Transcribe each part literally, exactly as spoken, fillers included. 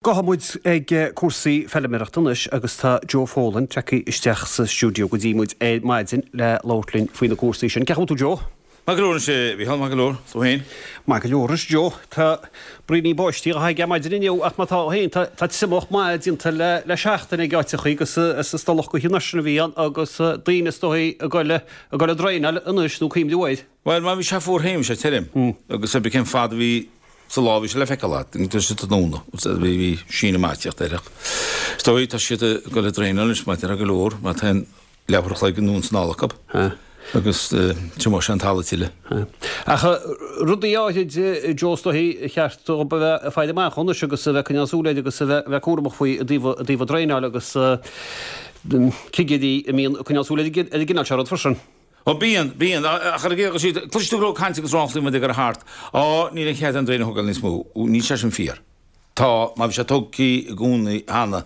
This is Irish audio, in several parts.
Gabhfaidh muid ag cúrsaí feilméarachta anois agus tá Joe Folan tagtha isteach sa stiúideo go dtí muid ar maidin le labhairt linn faoi na cúrsaí sin. Cén chaoi a bhfuil tú Joe? Maith go leor anois a Mhícheáil, maith go leor, tú féin? Maith go leor anois Joe. Tá braoinín báistí dhá thairgeadh maidin inniu ach má tá féin tá tá triomach maith déanta le le seachtain ag áiteachaí agus is is tulach go hionadh sin a bhí ann agus daoine is dóigh ag goil ag goil ag draenáil anois nó cuimhniú air. Bhuel má bhí sé fuar féin bhí sé tirim agus ar bith cén fad a bhí sa lá bhí sé le feiceáil agat, tá sé tráthnóna, bhí bhí síneadh maith ag tíocht air ach is dóigh tá siad ag dul ag draenáil anois mar a déarfá go leor mar tá an leathuair a chloig anonn is anall acu agus triomóidh sé an talamh tuilleadh. Ach rudaí áirid Joe is dóigh ar cheart dóibh a bheith ag faire amach anois agus a bheith ag coinneáil súil air agus a bheith a bheith cúramach faoi i dtaobh i dtaobh an draenáil agus cigirí a mbíonn ag coinneáil súil ar an gcineál seo rud freisin. Ó bíonn, bíonn, ach ar an gcéad dul síos, cloistear tú go leor cainte agus ráflaí muid ag dul thart, á, níl aon chead aon draein a thógáil níos mó, níl sé sin fíor. Tá, má bhí sé tógtha i gcónaí cheana,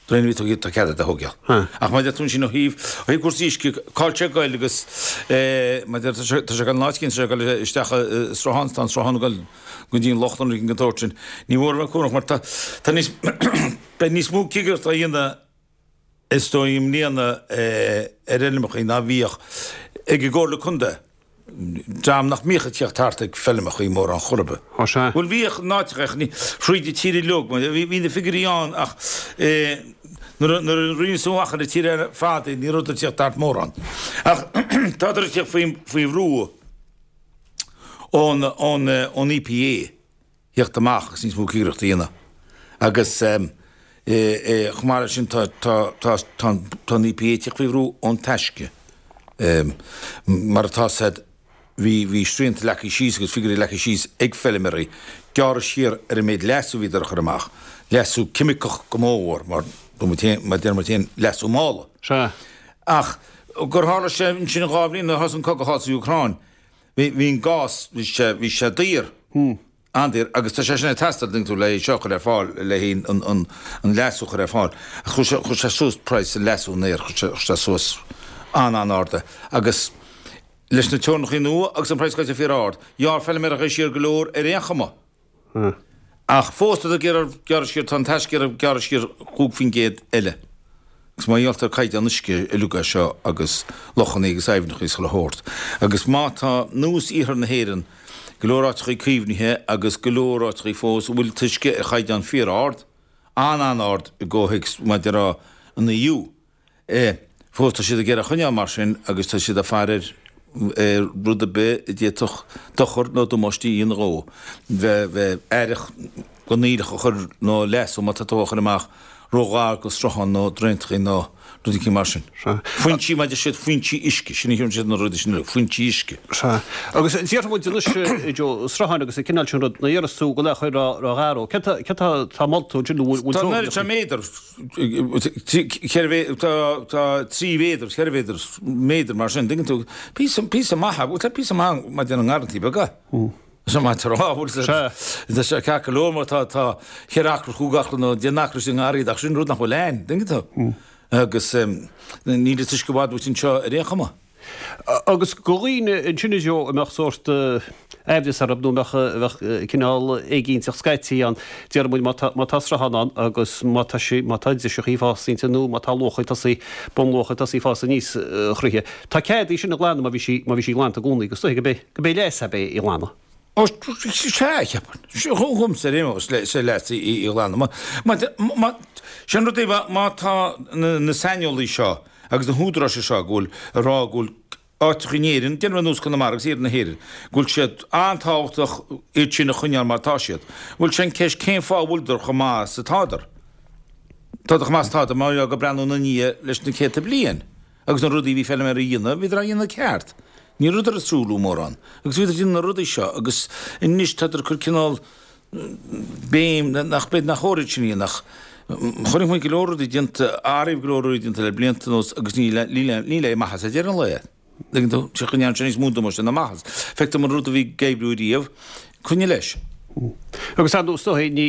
draein a bhí tógtha, tá cead iad a thógáil. Ach má deir tú ansin ó thaobh, ó thaobh cúrsaí uisce, cá bhfuil sé ag goil agus eh, má deir, tá sé, tá sé ag goil in áit éicint, tá sé ag goil isteach i sruthán, tá an sruthán ag goil go dtí an loch nó rud éigin den tsórt sin. Ní mór a bheith cúramach mar tá, tá níos, beidh níos mó cigireachta á dhéanamh is dóigh i mbliana ar fheirmeachaí ná bhíodh ag an gComhairle Contae, dream nach mbíodh ag tíocht thart ag feirmeachaí mórán chor ar bith. Ó sea. Bhuel bhíodh in áiteacha ach ní, fríd an tír uilig, bhí, bhí na figiúirí ann ach nuair a, nuair a rinneadh amach ar an tír ar fad é ní rabhadar ag tíocht thart mórán. Ach tádar ag tíocht faoi, faoi bhrú ón, ón, ón EPA. theacht amach agus níos mó cigireachta a dhéanamh agus chomh maith leis sin tá tá an EPA ag tíocht faoi bhrú ón Taisce. Mar atá 's a'd bhí bhí srianta leagtha síos agus figiúirí leagtha síos ag feilméaraí gearradh siar ar an méid leasú a bhíodar a chur amach, leasú ceimiceach go mórmhór mar mar deir muid féin leasú mála. Sea. Ach gur tharla sé ansin dhá bhliain nuair a thosaigh an cogadh thall sa Úcráin bhí bhí an gás bhí sé bhí sé daor. An-daor, agus tá sé sin ag teastáil, tuigeann tú, le é seo a chur ar fáil, le haghaidh an, an, an leasú a chur ar fáil. Ach chuir sé, chuir sé suas praghas an leasú in aer, chuir sé, chuir sé suas an-an-ard é. Agus leis na teorainneacha nua agus an praghas gaibhte fíor-ard, ghearr feilméarachaí siar go leor ar aon chuma. Ach fós tá ag iarraidh gearradh siar, tá an Taisce ag iarraidh gearradh siar chúig faoin gcéad eile. Agus mar gheall ar caighdeán uisce uilig é seo agus lochannaí agus aibhneacha is chuile shórt. Agus má tá nós iarthar na hÉireann, go leor áiteachaí caomhnaithe agus go leor áiteachaí fós a bhfuil an t-uisce ar chaighdeán fíor-ard, an-an-ard i gcomhthéacs mar a déarfá an EU, é, fós tá siad ag iarraidh a choinneáil mar sin agus tá siad ag faire ar rud ar bith a d'fhéadfadh dochar nó damáiste a dhéanamh dhó, bheith bheith aireach gan aoileach a chur nó leasú má tá tú á chur amach ró-ghar go sruthán nó draentachaí nó rud éicint mar sin. Sea. Foinsí, mar a deir siad, foinsí uisce, sin a thugann siad na rudaí sin uilig, foinsí uisce. Sea. Agus déarfaidh muid anois, Joe, srutháin agus an cineál sin rud, nuair a deireas tú go leath chuir ró-ghar dó, céard tá, céard tá, tá molta ansin nó bhfuil, bhfuil Tá an oiread sin méadar, ceithre mhé, tá, tá trí mhéadar, ceithre mhéadar, méadar mar sin, tuigeann tú, píosa, píosa maith, bhuel tá píosa maith mar a déarfá i ngarrantaí beaga. Is maith a rá, bhfuil Sea. Tá sé ceart go leor mar tá tá ceithre acra, chúig acra nó deich n-acra istigh i ngarraí ach sin rud nach bhfuil ann, tuigeann tú. Agus níl an t-uisce i bhfad uait anseo ar aon chuma. Agus go dhaoine ansin a Joe a mbeadh sórt aimhleas orthu nó a mbeadh bheadh cineál éiginnteacht scaití ann, déarfaidh muid má tá má tá sruthán ann agus má tá sí má tá driseachaí ag fás inti nó má tá luacha ag tosaí bunluacha ag tosaí fás aníos thríthi. Tá cead í sin a ghlanadh má bhí sí má bhí sí glanta i gcónaí agus is dóigh go mbeidh go mbeidh leigheas ab é í a ghlanadh. Ó, sea, cheapfainn. Dhomsa ar aon nós, is é leigheas í a ghlanadh. Má, má, má, sin rud é, má tá na, na saineolaí seo agus na húdaráis seo go bhfuil, ag rá go bhfuil áiteacha in Éirinn, déarfaidh ar nós Conamara agus iarthar na hÉireann, go bhfuil siad an-tábhachtach iad sin a choinneáil mar atá siad. Bhuel, sin ceist cén fáth a bhfuileadar chomh maith is atádar? Tádar chomh maith is atádar mar gheall gur breathnú ina ndiaidh leis na céadta bliain. Agus na rudaí a bhí feilméaraí a dhéanamh, bhíodar á dhéanamh ceart. Ní rabhadar ag truailliú mórán. Agus bhíodar ag déanamh na rudaí seo agus anois tádar ag cur cineál béim nach, b'fhéidir nach chóir iad sin a dhéanamh ach chonaic muid go leor rudaí déanta, ariamh go leor rudaí déanta le blianta anuas agus níl, níl, níl aon maitheas ag deireadh an lae. Tuigeann tú, sé go ndearna sé níos mó damáiste ná maitheas. Feictear dom an rud a bhí ag oibriú riamh, coinnigh leis. Agus ar ndóigh, is dóigh, ní,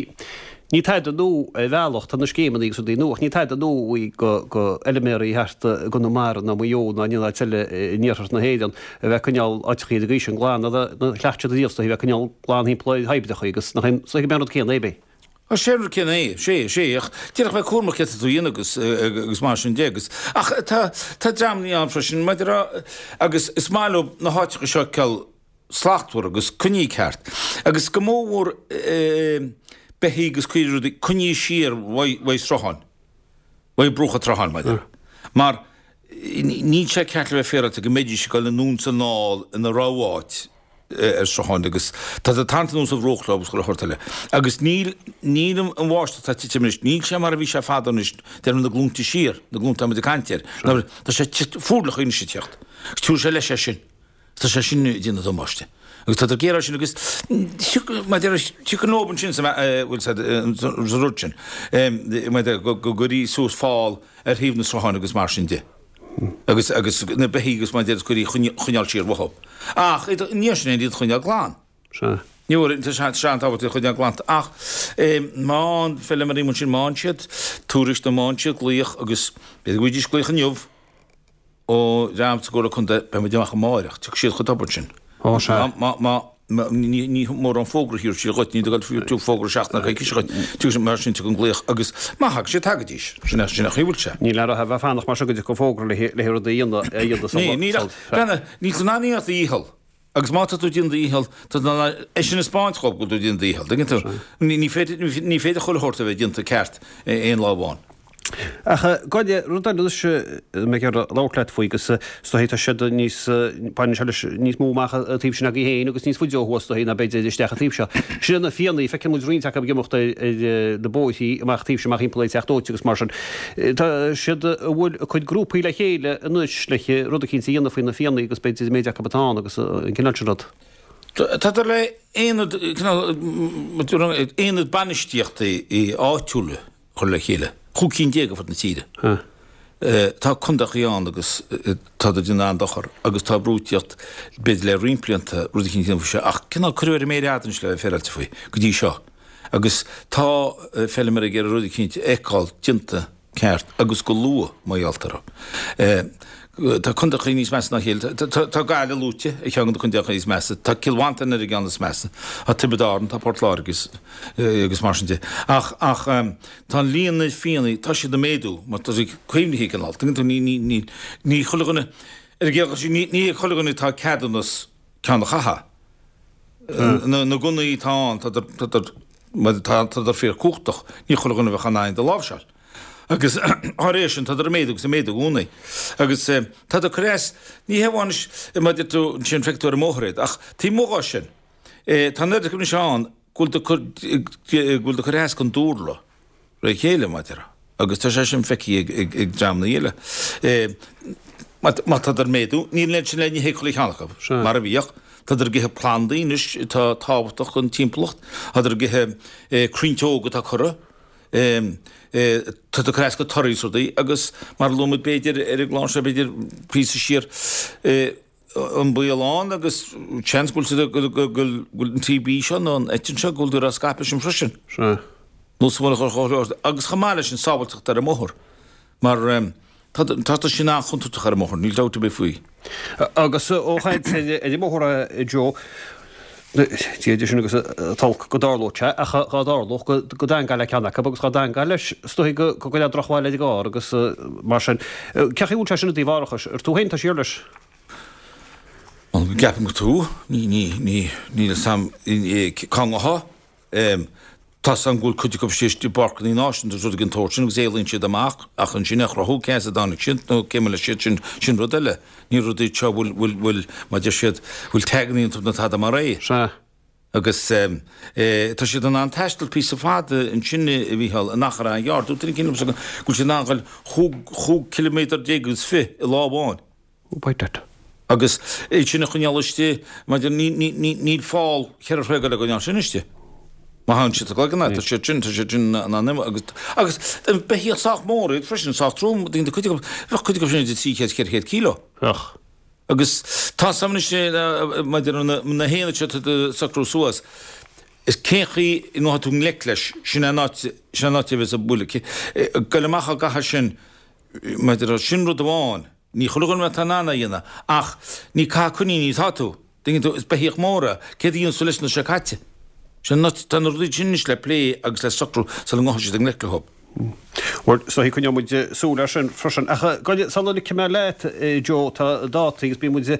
ní tada nua ar bhealach, tá na scéimeanna agus rudaí nua, ach ní tada nua í go, go fheilméaraí thart i gConamara ná Maigh Eo ná in aon áit eile in iarthar na hÉireann a bheith ag coinneáil áiteachaí ar an gcaoi sin glan, ná chleacht siad ariamh is dóigh a bheith ag coinneáil glan thimpeall ar thoibreacha agus nach é, is dóigh gurb é an rud céanna é, b'é. Á, sé an rud céanna é, sé, sé, ach d'fhéadfadh bheith cúramach céard atá tú a dhéanamh agus, agus mar sin de agus, ach tá, tá dreamanna ann freisin, maidir a, agus is maith leo na háiteacha seo a fheiceáil slachtmhar agus coinnithe ceart agus go mórmhór beithígh agus caoirigh rudaí coinnithe siar uaidh srutháin, uaidh bruacha tsrutháin, maidir, mar níl sé ceart le bheith féaráilte go mbeidís ag dul anonn is anall ina rogha áit. ar srutháin agus tá siad ag tarraingt anuas an bhruach leo agus chuile shórt eile. Agus níl, níl an bháisteach atá ag titim anois, níl sé mar a bhí sé fadó anois, deirim na glúnta siar, na glúnta muid ag caint air, ná tá sé fuarlaigh anois ag teacht. Agus tabharfaidh sé leis é sin. Tá sé sin ag déanamh damáiste. Agus tá géar sin agus maidir tiocfaidh leo ansin sa bhfuil sa rud sin, maidir go gcuirí suas fál ar thaobh na srutháin agus mar sin de. Agus, agus na beithígh agus mar a deir is cuir iad choinneáil siar uathu. Ach iad, ní sin é, iad choinneáil glan. Sea. Ní bhfuair, tá sé, tá sé an-tábhachtach iad choinneáil glan. Ach má fhaigheann feilméaraí ansin, má fhaigheann siad tuairisc nó má fhaigheann siad glaoch agus b'fhéidir go bhfaighidís glaoch inniu ó dhream sa gComhairle Contae, beidh muid amach amáireach, tiocfaidh siad chomh tobann sin. Ó, sea. Má, má, má, ní, ní mórán fógra a thabharfaidh siad dhuit, ní do tú fógra seachtain ná coicíse dhuit, tiocfaidh siad, mar sin tiocfaidh an glaoch agus má thagann siad tagaidís, sin é, sin é an chaoi a bhfuil sé. Níl aon rogha a bheith fanacht mar seo go dtiocfaidh fógra le le rudaí a dhéanamh, a dhéanamh sa Ní, níl ach, breathnaigh, níl tú in ann aon a dhícheall agus má tá tú ag déanamh do dhícheall, tá tú in ann é sin a 'speáint dhóibh go bhfuil tú ag déanamh do dhícheall, tuigeann tú? Ní, ní féidir, ní féidir chuile shórt a bheith déanta ceart aon lá amháin. Ach goile, rud eile anois a mbeidh ag iarraidh labhairt leat faoi agus is dóichí tá siad níos, baineann sé leis níos mó amach an taobh sin agaibh féin agus níos faide ó thuaidh is dóichí ná b'fhéidir isteach an taobh seo. Sin na fianna, feiceann muid roinnt acu ag imeacht ar na bóithrí amach taobh seo amach thimpeall ar Teach Dóite agus mar sin. Tá siad, an bhfuil a cuid grúpaí le chéile anois le rud eicínt a dhéanamh faoi na fianna agus b'fhéidir an méid acu atá ann agus an cineál sin rud. Tádar le aonad, cineál, aonad bainistíochta áitiúla. chur le chéile, chúig cinn déag ar fud na tíre. Tá contaethaí ann agus tá ag déanamh an-dochar agus tá brú ag tíocht, b'fhéidir le roinnt blianta, rud eicínt a dhéanamh faoi seo ach cineál cuireadh ar an méar fhada anois le bheith féaráilte faoi go dtí seo agus tá feilméaraí ag iarraidh rud eicínt a fheiceáil déanta ceart agus go luath mar gheall orthu. Tá contaethaí níos measa ná a chéile. Tá Gaillimh luaite ar cheann de na contaethaí is measa. Tá Cill Mhantáin ar an gceann is measa. Tá Tiobraid Árann, tá Port Láirge agus mar sin de. Ach ach tá an líon na fianna, tá siad ag méadú mar tá siad caomhnaithe cineál. Tuigeann tú, ní ní ní ní chuile dhuine ar an gcéad ní ní chuile dhuine atá ceadúnas ceann a chaitheamh. Na na gunnaí atá ann, tá tá tá fíor cumhachtach. Ní chuile dhuine a bheadh in ann iad a láimhseáil. Agus dá réir sin, tádar ag méadú agus ag méadú i gcónaí. Agus tádar ag cur as, ní hé amháin anois, mar a deir tú, ansin feicfidh tú ar an mbóthar iad, ach taobh amuigh dhó sin, tá an oiread acu anois ann go bhfuil go bhfuil ag cur as don dúlra ré chéile, mar a déarfá. Agus tá sé sin feicthe ag dreamanna eile. Má tádar ag méadú, níl an oiread sin le n-ithe ag chuile cheann acu, mar a bhíodh. Tádar ag ithe plandaí anois atá tábhachtach don timpeallacht. Tádar ag ithe crainnte óga atá curtha. Tá ag cur as go torthaí is rudaí agus mar a luaigh muid b'fhéidir ar an gclár seo b'fhéidir píosa siar an baol ann agus seans go bhfuil go bhfuil an TB seo nó an eitinn seo go bhfuil á scaipeadh sin freisin. Sea. Nó sa bhunachar chomh leor agus chomh maith leis an sábháilteacht ar an mbóthar mar Tá tá sin an-chontúirteach ar an mbóthar, níl dabht ar bith faoi. Agus ó chaint ar an mbóthar a Joe, Dia duit sin agus an t-olc go dtarlódh sé, ach dhá dtarlódh go dteangmháil le ceann acu agus dhá dteangmháil leis, is dóigh go gcuirfeadh drochbhail ar an gcarr agus mar sin. Cén chaoi a bhfuil sé sin i dtaobh árachais? Ar tú féin atá siar leis? Bhuel, ceapaim gur tú. Ní, ní, ní, níl fhios a'm cá ngabhfá. Tá 's a'm go bhfuil cuid acu istigh i bpáirceanna náisiúnta agus rudaí den tsórt sin agus éalaíonn siad amach ach ansin a chruthú cé as a dtáinig siad nó cé mbeidh siad sin, sin rud eile. Ní rud iad seo a bhfuil, bhfuil, bhfuil, mar a deir siad, bhfuil taganna iontu nó tada mar é. Sea. Agus tá siad in ann taisteal píosa fada ansin a Mhícheáil in achar an-ghearr. Dúirt duine éicint liomsa go bhfuil siad in ann dul chúig, chúig ciliméadar déag agus fiche i lá amháin. Oh, by dad. Agus iad sin a choinneáil istigh, maidir, ní, ní, ní, níl fál cheithre throigh le coinneáil sin istigh. Má thagann siad sa gcloigeann agat, tá siad sin, tá siad sin in ann imeacht agus, agus beithíoch sách mór iad freisin, sách trom, daoine, cuid acu, bheadh cuid acu sin idir trí chéad, ceithre chéad kíló. Bheadh. Agus tá 's a'm anois, maidir na, na haonaid seo atá ag socrú suas, is cén chaoi a ngabhfaidh tú i ngleic leis, sin é an áit, sin é an áit a bheas an buille. Goil amach á gcaitheamh sin, maidir, sin rud amháin. Ní chuile dhuine atá in ann é a dhéanamh, ach ní ag caitheamh coiníní atá tú. Tuigeann tú, is beithíoch mór é. Céard a dhéanfas tú leis nuair atá sé caite? Sin tá na rudaí sin anois le plé agus le socrú sula ngabhfaidh siad i ngleic leo. Bhuel, is dóigh coinneoidh muid súil air sin freisin. Ach sula ligfidh mé leat, Joe, tá dátaí agus bíonn muid,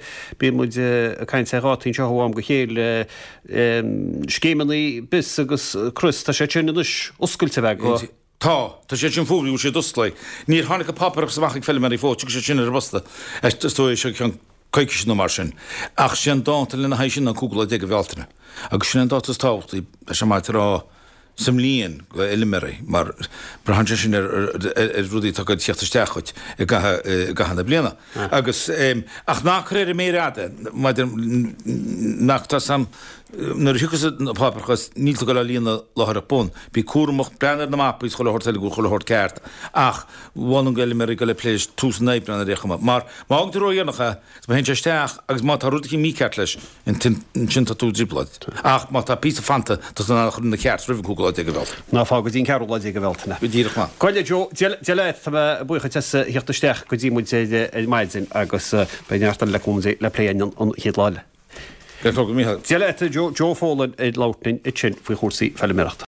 bíonn muid ag caint ar dhátaí anseo ó am go chéile, scéimeanna BIS agus Crios, tá sé sin anois oscailte a bheith go. Tá, tá sé sin fógraithe go bhfuil siad oscailte. Níor tháinig an páipéarachas amach ag feilméaraí fós, tiocfaidh sé sin ar an bposta, is dóigh, seo ceann coicíse nó mar sin. Ach sé an dáta lena haghaidh sin ná an cúigiú lá déag de Bhealtaine. Agus sin an dáta is tábhachtaí, tá sé maith a rá, sa mbliain do fheilméaraí, mar braitheann sé sin ar rudaí atá ag teacht isteach dhuit i gcaitheamh na bliana. Agus, ach ná cuir ar an méar fhada, maidir, nach, tá sam, nuair a thiocfas an páipéarachas, níl tú ag dul á líonadh láithreach bonn. Bí cúramach, breathnaigh ar na mapaí is chuile shórt eile go bhfuil chuile shórt ceart, ach mholfainn d'fheilméaraí dul ag plé leis tús an Aibreáin ar aon chuma. Mar má fhágann tú ródhéanach é, is má théann sé isteach agus má tá rud eicínt mícheart leis, ansin tá tú i dtrioblóid. Ach má tá píosa fanta, tá tú in ann a chur ina cheart roimh an cúigiú lá déag de Bhealtaine. Ná fág go dtí an ceathrú lá déag de Bhealtaine. Go díreach maith. Gabh i leith Joe, Dia leat, tá mé buíoch duit as a theacht isteach go dtí muid ar maidin agus beidh neart eile le cúnamh Dé le plé againn an chéad lá eile. Go raibh maith agat, a Mhícheáil. Dia leat, Joe, Joe Folan ag labhairt linn ansin faoi chúrsaí feilméarachta.